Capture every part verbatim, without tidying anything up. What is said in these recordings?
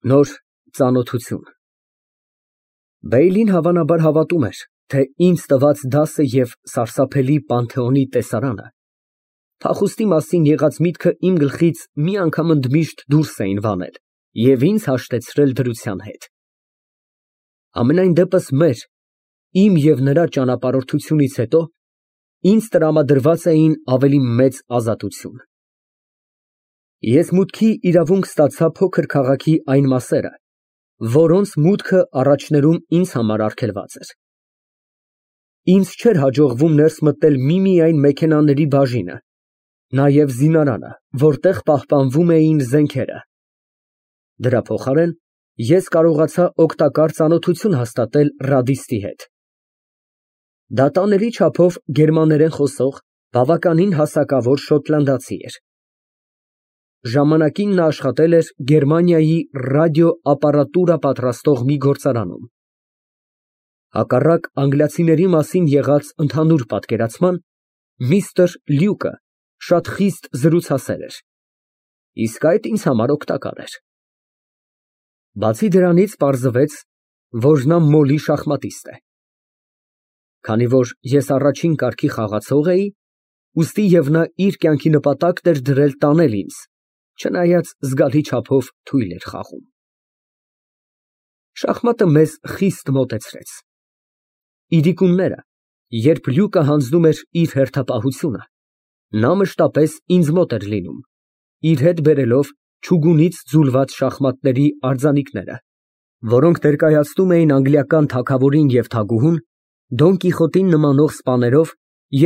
Նոր ծանոթություն։ Բեյլին հավանաբար հավատում էր, թե ինձ տված դասը և սարսափելի Պանթեոնի տեսարանը փախուստի մասին եղած միտքը իմ գլխից մի անգամ ընդմիշտ դուրս էին վանել և ինձ հաշտեցրել դրության հետ։ Համենայն դեպս մեր, իմ և նրա ճանապարհորդությունից հետո ինձ տրամադրված էին ավելի մեծ ազատություն։ Ես մուտքի իրավունք ստացա փոքր քաղաքի այն մասերը, որոնց մուտքը առաջներում ինձ համար արգելված էր։ Ինձ չէր հաջողվում ներս մտնել միմիայն մեքենաների բաժինը, նաև զինարանը, որտեղ պահպանվում էին զենքերը։ Դրա փոխարեն ես կարողացա օգտակար ծանոթություն հաստատել ռադիստի հետ։ Դա տանելի չափով գերմաներեն խոսող, բավականին հասակավոր շոտլանդացի էր։ Ժամանակին նա աշխատել էր Գերմանիայի ռադիոապարատուրա պատրաստող մի գործարանում։ Հակառակ անգլիացիների մասին եղած ընդհանուր պատկերացման, միստր Լյուկը շատ խիստ զրուցասեր էր, իսկ այդ ինձ համար օգտակար էր։ Բացի դրանից պարզվեց, որ նա մոլի շախմատիստ է։ Քանի որ ես առաջին կարգի խաղացող էի, ուստի և նա իր կյանքի նպատակն էր դրել տանել ինձ, չնայած զգալի չափով թույլ էր խաղում։ Շախմատը մեզ խիստ մոտեցրեց։ Իրիկունները, երբ Լյուկը հանձնում էր իր հերթապահությունը, նա մշտապես ինձ մոտ էր լինում, իր հետ բերելով չուգունից ձուլված շախմատների արձանիկները, որոնք ներկայացնում էին անգլիական թագավորին և թագուհուն Դոն Կիխոտին նմանող սպաներով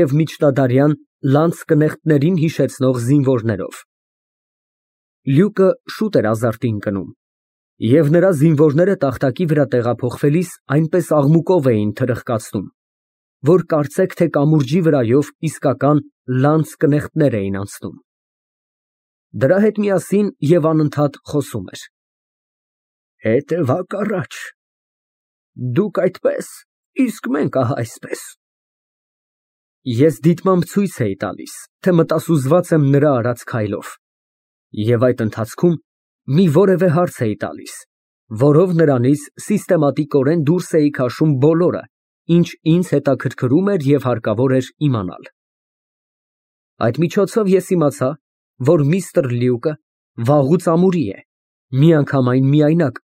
և միջնադարյան լանցկնեխտներին հիշեցնող զինվորներով։ Լյուկը շուտ էր ազարտին ընկնում, և նրա զինվորները տախտակի վրա տեղափոխվելիս այնպես աղմուկով էին թրխկացնում, որ կարծեք թե կամուրջի վրայով իսկական լանցկնեխտներ էին անցնում։ Դրա հետ միասին և անընդհատ խոսում էր. Հետևակ առաջ, դուք այդպես, իսկ մենք ահա այսպես։ Ես դիտմամբ ցույց էի տալիս, թե մտասուզված եմ նրա արած քայլով, և այդ ընթացքում մի որևէ հարց էի տալիս, որով նրանից սիստեմատիկորեն դուրս էի քաշում բոլորը, ինչ ինձ հետաքրքրում էր և հարկավոր էր իմանալ։ Այդ միջոցով ես իմացա, որ միստր Լյուկը վաղուց ամուրի է, միանգամայն միայնակ,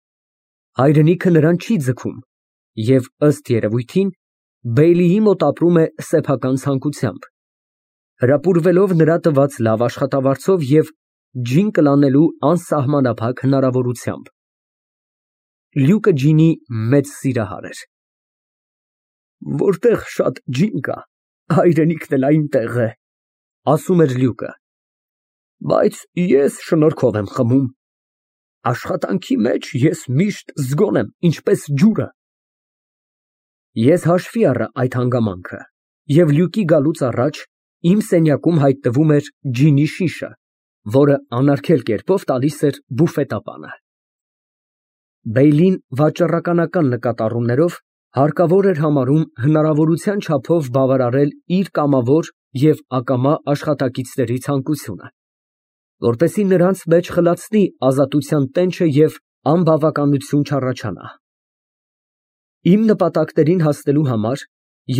հայրենիքը նրան չի ձգում և, ըստ երևույթին, Բեյլիի մոտ ապրում է սեփական ցանկությամբ, հրապուրվելով նրա տված լավ աշխատավարձով և ջին կլանելու անսահմանափակ հնարավորությամբ։ Լյուկը ջինի մեծ սիրահար էր։ Որտեղ շատ ջին կա, հայրենիքն էլ այնտեղ է, ասում էր Լյուկը, բայց ես շնորհքով եմ խմում, աշխատանքի մեջ ես միշտ զգոն եմ, ինչպես ջուրը։ Ես հաշվի առա այդ հանգամանքը, և Լյուկի գալուց առաջ իմ սենյակում հայտնվում էր ջինի շիշը, որը անարգել կերպով տալիս էր բուֆետապանը։ Բեյլին վաճառականական նկատառումներով հարկավոր էր համարում հնարավորության չափով բավարարել իր կամավոր և ակամա աշխատակիցների ցանկությունը, որպեսզի նրանց մեջ խլացնի ազատության տենչը և անբավականություն չառաջանա։ Իմ նպատակներին հասնելու համար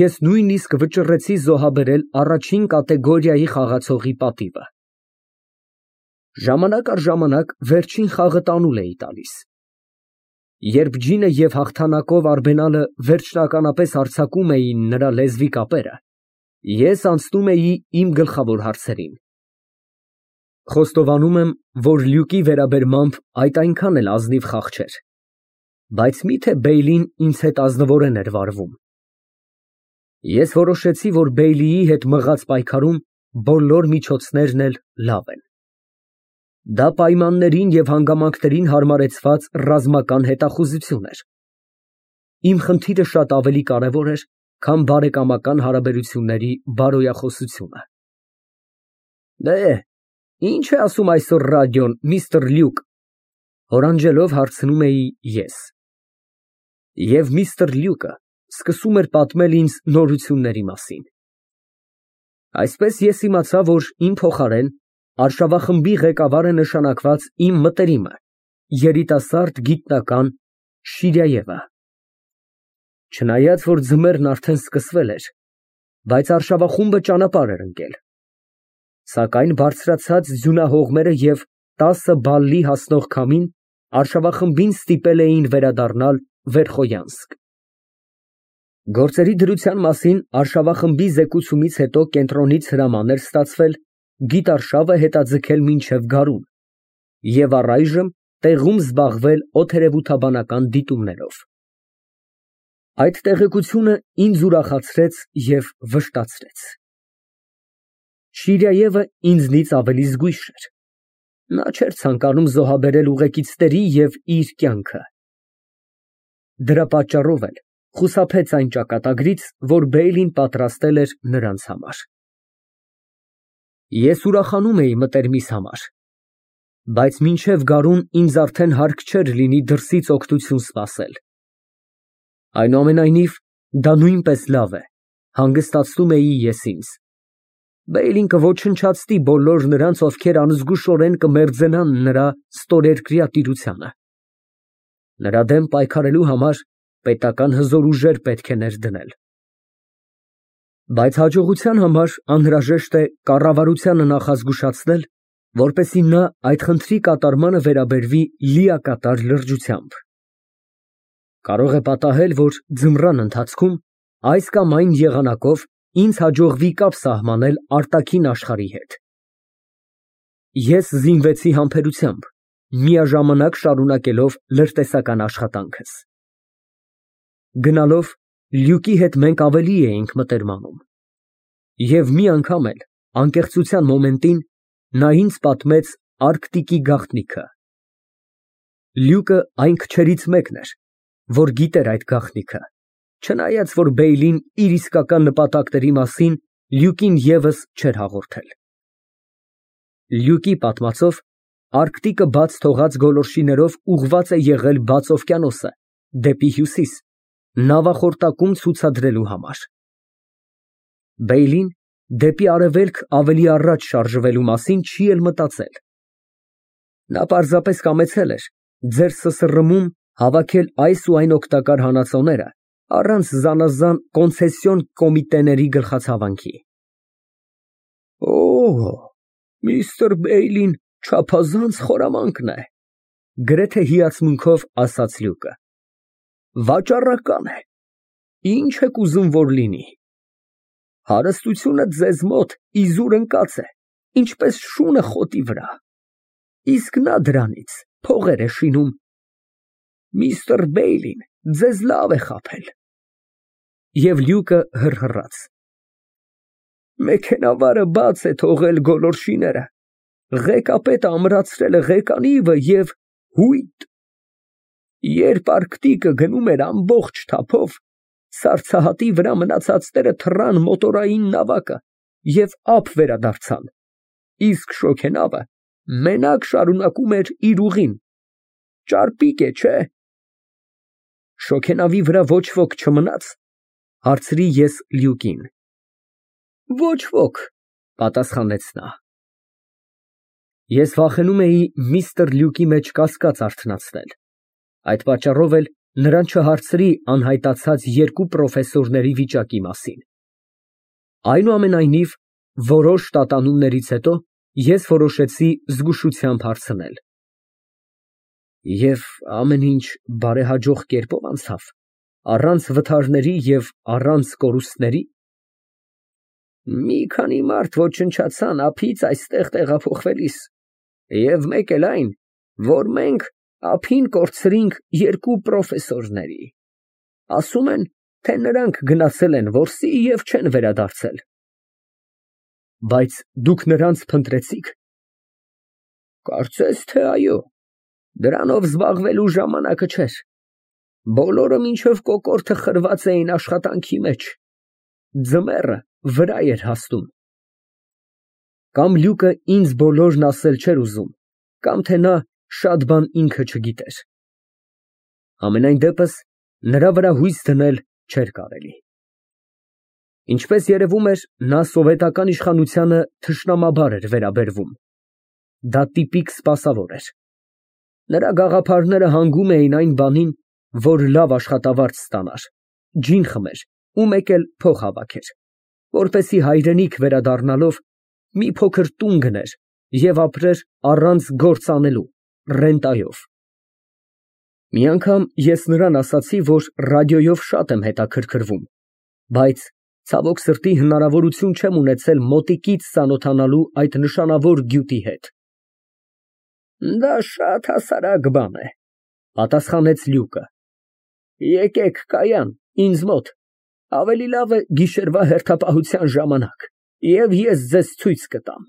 ես նույնիսկ վճռեցի զոհաբերել առաջին կատեգորիայի խաղացողի պատիվը։ Ժամանակ առ ժամանակ վերջին խաղը տանուլ էի տալիս։ Երբ ջինը և հաղթանակով արբենալը վերջնականապես հարձակում էին նրա լեզվի կապերը, ես անցնում էի իմ գլխավոր հարցերին։ Խոստովանում եմ, որ Լյուկի վերաբերմամբ այդ այնքան էլ ազնիվ խաղ չէր, բայց մի՞թե Բեյլին ինձ հետ ազնվորեն էր վարվում։ Ես որոշեցի, որ Բեյլիի հետ մղած պայքարում բոլոր միջոցներն էլ լավ են։ Դա պայմաններին և հանգամանքներին հարմարեցված ռազմական հետախուզություն էր։ Իմ խնդիրը շատ ավելի կարևոր էր, քան բարեկամական հարաբերությունների բարոյախոսությունը։ Դե, ի՞նչ է ասում այսօր ռադիոն, միստր Լյուկ, հորանջելով հարցնում էի ես։ Եվ միստր Լյուկը սկսում էր պատմել ինձ նորությունների մասին։ Այսպես ես իմացա, որ իմ փոխարեն արշավախմբի ղեկավար է նշանակված իմ մտերիմը, երիտասարդ գիտնական Շիրայևը։ Չնայած որ ձմեռն արդեն սկսվել էր, բայց արշավախումբը ճանապարհ էր ընկել, սակայն բարձրացած ձյունահողմերը և տասը բալլի հասնող քամին արշավախմբին ստիպել էին վերադառնալ Վերխոյանսկ։ Գործերի դրության մասին արշավախմբի զեկուցումից հետո կենտրոնից հրաման էր ստացվել գիտարշավը հետաձգել մինչև գարուն և առայժմ տեղում զբաղվել օդերևութաբանական դիտումներով։ Այդ տեղեկությունը ինձ ուրախացրեց և վշտացրեց։ Շիրայևը ինձնից ավելի զգույշ էր։ Նա չէր ցանկանում զոհաբերել ուղեկիցների և իր կյանքը։ Դրա պատճառով էլ խուսափեց այն ճակատագրից, որ Բեյլին պատրաստել էր նրանց համար։ Ես ուրախանում էի մտերմիս համար, բայց մինչև գարուն ինձ արդեն հարկ չէր լինի դրսից օգնություն սպասել։ Այնուամենայնիվ, դա նույնպես լավ է, հանգստացնում էի ես ինձ։ Բեյլին կոչնչացնի բոլոր նրանց, ովքեր անզգուշորեն կմերձենան նրա ստորերկրյա տիրությանը։ Նրա դեմ պայքարելու համար պետական հզոր ուժեր պետք է ներդնել։ Բայց հաջողության համար անհրաժեշտ է կառավարությանը նախազգուշացնել, որպեսզի նա այդ խնդրի կատարմանը վերաբերվի լիակատար լրջությամբ։ Կարող է պատահել, որ ձմռան ընթացքում այս կամ այն եղանակով ինձ հաջողվի կապ սահմանել արտաքին աշխարհի հետ։ Ես զինվեցի համբերությամբ, միաժամանակ շարունակելով լրտեսական աշխատանքս։ Գնալով Լյուկի հետ մենք ավելի էինք մտերմանում։ Եվ մի անգամ էլ, անկեղծության մոմենտին, նա ինձ պատմեց Արկտիկի գաղտնիքը։ Լյուկը այն քչերից մեկն էր, որ գիտեր այդ գաղտնիքը, չնայած որ Բեյլին իր իսկական նպատակների մասին Լյուկին ևս չէր հաղորդել։ Լյուկի պատմածով, Արկտիկը բաց թողած գոլորշիներով ուղղված է եղել բաց օվկիանոսը, դեպի հյուսիս, նավախորտակում ցուցադրելու համար։ Բեյլին դեպի արևելք ավելի առաջ շարժվելու մասին չի էլ մտածել։ Նա պարզապես կամեցել էր ձեր ՍՍՌՄ-ում հավաքել այս ու այն օգտակար հանածոները առանց զանազան կոնցեսիոն կոմիտեների գլխացավանքի։ Օ, միստր Բեյլին չափազանց խորամանկ է, գրեթե հիացմունքով ասաց Լյուկը։ Վաճառական է, ինչ եք ուզում որ լինի։ Հարստությունը ձեզ մոտ իզուր ընկած է, ինչպես շունը խոտի վրա, իսկ նա դրանից փողեր է շինում։ Միստր Բեյլին ձեզ լավ է խաբել։ Եվ Լյուկը հռհռաց։ Մեքենավարը բաց է թողել գոլորշիները, ղեկապետը ամրացրել է ղեկանիվը և հույտ։ Երբ Արկտիկը գնում էր ամբողջ թափով, սառցահատի վրա մնացածները թռան մոտորային նավակը և ափ վերադարձան, իսկ շոգենավը մենակ շարունակում էր իր ուղին։ Ճարպիկ է, չէ՞։ Շոգենավի վրա ոչ ոք չմնաց, հարցրի ես Լյուկին։ Ոչ ոք, պատասխանեց նա։ Ես վախենում էի միստր Լյուկի մեջ կասկած արթնացնել, այդ պատճառով էլ նրան չհարցրի անհայտացած երկու պրոֆեսորների վիճակի մասին։ Այնուամենայնիվ, որոշ տատանումներից հետո ես որոշեցի զգուշությամբ հարցնել։ Եվ ամեն ինչ բարեհաջող կերպով անցավ, առանց վթարների և առանց կորուստների։ Մի քանի մարդ ոչնչացան ափից այստեղ տեղափոխվելիս, և մեկ էլ այն, որ մենք ափին կորցրինք երկու պրոֆեսորների։ Ասում են, թե նրանք գնացել են որսի և չեն վերադարձել։ Բայց դուք նրանց փնտրեցի՞ք։ Կարծես թե այո, դրանով զբաղվելու ժամանակը չէր։ Բոլորը մինչև կոկորդը խրված էին աշխատանքի մեջ։ Ձմեռը վրա էր հասնում։ Կամ Լյուկը ինձ բոլորն ասել չէր ուզում, կամ թե նա շատ բան ինքը չգիտեր։ Համենայն դեպս, նրա վրա հույս դնել չէր կարելի։ Ինչպես երևում էր, նա սովետական իշխանությանը թշնամաբար էր վերաբերվում։ Դա տիպիկ սպասավոր էր։ Նրա գաղափարները հանգում էին այն բանին, որ լավ աշխատավարձ ստանար, ջին խմեր ու մեկ էլ փող հավաքեր, որպեսզի հայրենիք վերադառնալով մի փոքր տուն գներ և ապրեր առանց գործ անելու, ռենտայով։ Մի անգամ ես նրան ասացի, որ ռադիոյով շատ եմ հետաքրքրվում, բայց ցավոք սրտի հնարավորություն չեմ ունեցել մոտիկից ծանոթանալու այդ նշանավոր գյուտի հետ։ Դա շատ հասարակ բան է, պատասխանեց Լյուկը։ Եկեք կայան, ինձ մոտ, ավելի լավ է գիշերվա հերթապահության ժամանակ, և ես ձեզ ցույց կտամ։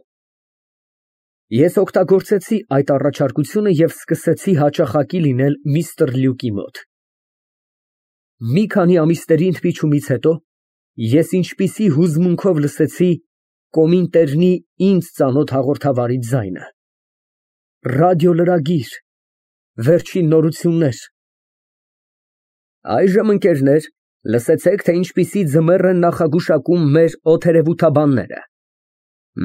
Ես օգտագործեցի այդ առաջարկությունը և սկսեցի հաճախակի լինել միստր Լյուկի մոտ։ Մի քանի ամիսների ընդմիջումից հետո ես ինչպիսի հուզմունքով լսեցի Կոմինտերնի ինձ ծանոթ հաղորդավարի ձայնը։ Ռադիոլրագիր, վերջին նորություններ։ Այժմ, ընկերներ, լսեցեք, թե ինչպիսի ձմեռ են նախագուշակում մեր օդերևութաբանները։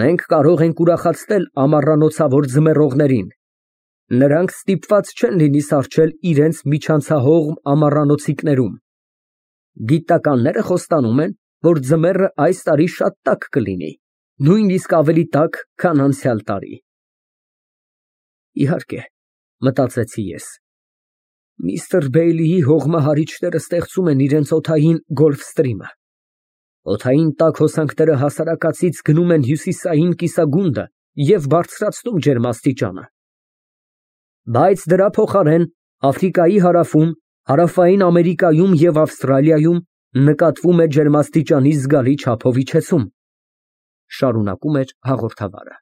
Մենք կարող ենք ուրախացնել ամառանոցավոր ձմեռողներին։ Նրանք ստիպված չեն լինի սառչել իրենց միջանցահողմ ամառանոցիկներում։ Գիտնականները խոստանում են, որ ձմեռը այս տարի շատ տաք կլինի, նույնիսկ ավելի տաք, քան անցյալ տարի։ Իհարկե, մտածեցի ես, միստր Բեյլիի հողմահարիչները ստեղծում են իրենց օդային գոլֆստրիմը։ Օդային տաք հոսանքները հասարակածից գնում են հյուսիսային կիսագունդը և բարձրացնում ջերմաստիճանը։ Բայց դրա փոխարեն Աֆրիկայի հարավում, Հարավային Ամերիկայում և Ավստրալիայում նկատվում է ջերմաստիճանի զգալի չափով իջեցում, շարունակում էր հաղորդավարը։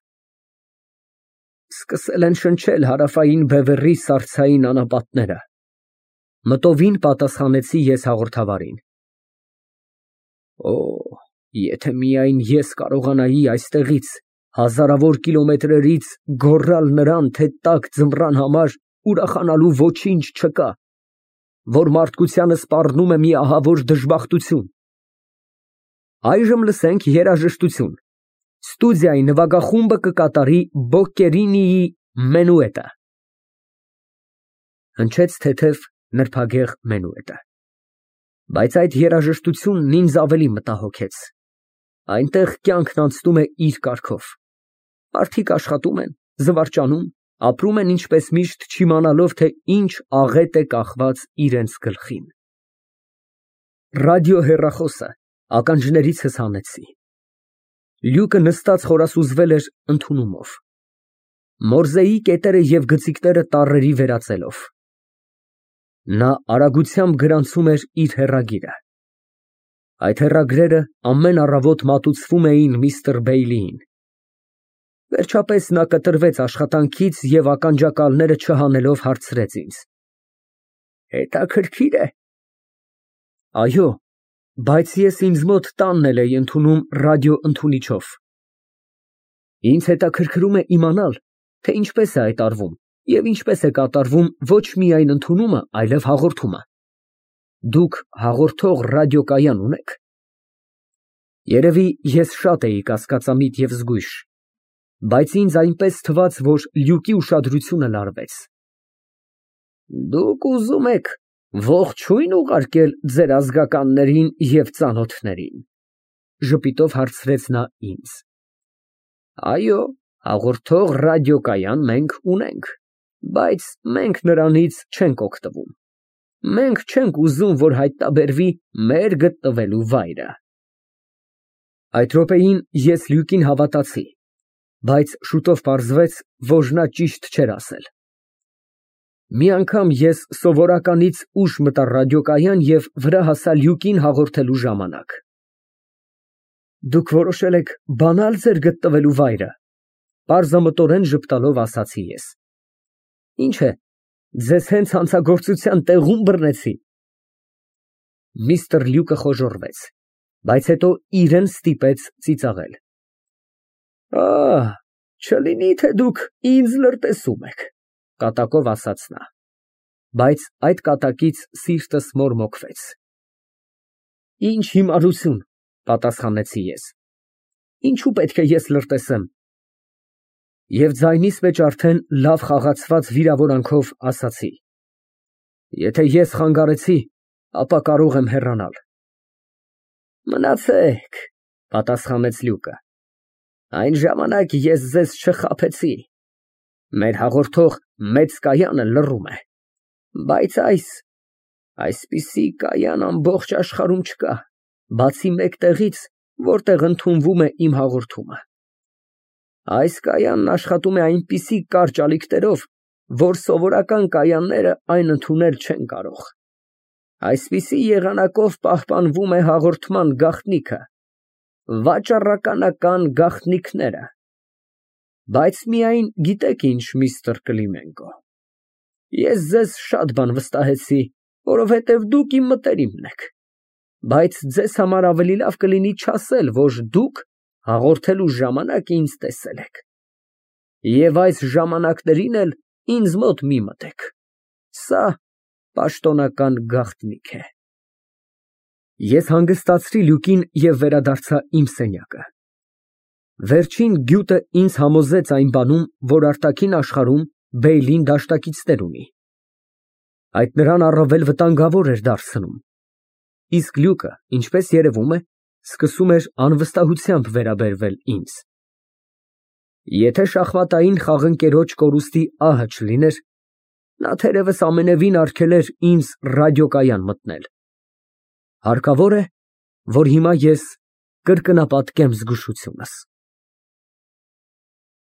Սկսել են շնչել Հարավային Բևեռի սառցային անապատները, մտովին պատասխանեցի ես հաղորդավարին։ Օ, եթե միայն ես կարողանայի այստեղից հազարավոր կիլոմետրերից գոռալ նրան, թե տաք ձմռան համար ուրախանալու ոչինչ չկա, որ մարդկությանը սպառնում է մի ահավոր դժբախտություն։ Այժմ լսենք երաժշտություն։ Ստուդիայի նվագախումբը կկատարի Բոկկերինիի Մենուետը։ Հնչեց թեթև նրբագեղ մենուետը։ Բայց այդ երաժշտությունն ինձ ավելի մտահոգեց։ Այնտեղ կյանքն անցնում է իր կարգով։ Մարդիկ աշխատում են, զվարճանում, ապրում են ինչպես միշտ, չիմանալով, թե ինչ աղետ է կախված իրենց գլխին։ Ռադիոհեռախոսը ականջներիցս հանեցի։ Լյուկը նստած խորասուզվել էր ընդունումով, մորզեի կետերը և գծիկները տառերի վերածելով։ Նա արագությամբ գրանցում էր իր հեռագիրը։ Այդ հեռագրերը ամեն առավոտ մատուցվում էին միստր Բեյլիին։ Վերջապես նա կտրվեց աշխատանքից և ականջակալները չհանելով հարցրեց ինձ. Հետաքրքիր է։ Այո, բայց ես ինձ մոտ տանն էլ էի ընդունում ռադիոընդունիչով։ Ինձ հետաքրքրում է իմանալ, թե ինչպես է այդ արվում և ինչպես է կատարվում ոչ միայն ընդունումը, այլև հաղորդումը։ Դուք հաղորդող ռադիոկայան ունե՞ք։ Երևի ես շատ էի կասկածամիտ և զգույշ, բայց ինձ այնպես թվաց, որ Լյուկի ուշադրությունը լարվեց։ Դուք ուզում եք ողջույն ուղարկել ձեր ազգականներին և ծանոթներին, ժպիտով հարցրեց նա ինձ։ Այո, հաղորդող ռադիոկայան մենք ունենք, բայց մենք նրանից չենք օգտվում։ Մենք չենք ուզում, որ հայտնաբերվի մեր գտնվելու վայրը։ Այդ րոպեին ես Լյուկին հավատացի, բայց շուտով պարզվեց, որ նա ճիշտ չէր ասել։ Մի անգամ ես սովորականից ուշ մտա ռադիոկայան և վրա հասա Լյուկին հաղորդելու ժամանակ։ Դուք որոշել եք բանալ ձեր գտնվելու վայրը, պարզամտորեն ժպտալով ասացի ես։ Ինչ է, ձեզ հենց հանցագործության տեղում բռնեցի։ Միստր Լյուկը խոժոռվեց, բայց հետո իրեն ստիպեց ծիծաղել։ Ահ, չլինի թե դուք ինձ լրտեսում եք, կատակով ասաց նա, բայց այդ կատակից սիրտս մորմոքվեց։ Ինչ հիմարություն, պատասխանեցի ես։ Ինչու պետք է ես լրտեսեմ։ Եվ ձայնիս մեջ արդեն լավ խաղացված վիրավորանքով ասացի. Եթե ես խանգարեցի, ապա կարող եմ հեռանալ։ Մնացեք, պատասխանեց Լյուկը, այն ժամանակ ես ձեզ չխաբեցի, մեր հաղորդող մեծ կայանը լռում է, բայց այս, այսպիսի կայան ամբողջ աշխարհում չկա, բացի մեկ տեղից, որտեղ ընդունվում է իմ հաղորդումը։ Այս կայանն աշխատում է այնպիսի կարճ ալիքներով, որ սովորական կայանները այն ընդունել չեն կարող։ Այսպիսի եղանակով պահպանվում է հաղորդման գաղտնիքը, վաճառականական գաղտնիքները։ Բայց միայն գիտեք ինչ, միստր Կլիմենկո, ես ձեզ շատ բան վստահեցի, որովհետև դուք իմ մտերիմն եք, բայց ձեզ համար ավելի լավ կլինի չասել, որ դուք հաղորդելու ժամանակ ինձ տեսել եք։ Եվ այս ժամանակներին էլ ինձ մոտ մի մտեք, սա պաշտոնական գաղտնիք է։ Ես հանգստացրի Լյուկին և վերադարձա իմ սենյակը։ Վերջին գյուտը ինձ համոզեց այն բանում, որ արտաքին աշխարհում Բեյլին դաշնակիցներ ունի։ Այդ նրան առավել վտանգավոր էր դարձնում։ Իսկ Լյուկը, ինչպես երևում է, սկսում էր անվստահությամբ վերաբերվել ինձ։ Եթե շախմատային խաղընկերոջ կորուստի ահը չլիներ, նա թերևս ամենևին արգելեր ինձ ռադիոկայան մտնել։ Հարկավոր է, որ հիմա ես կրկնապատկեմ զգուշությունս։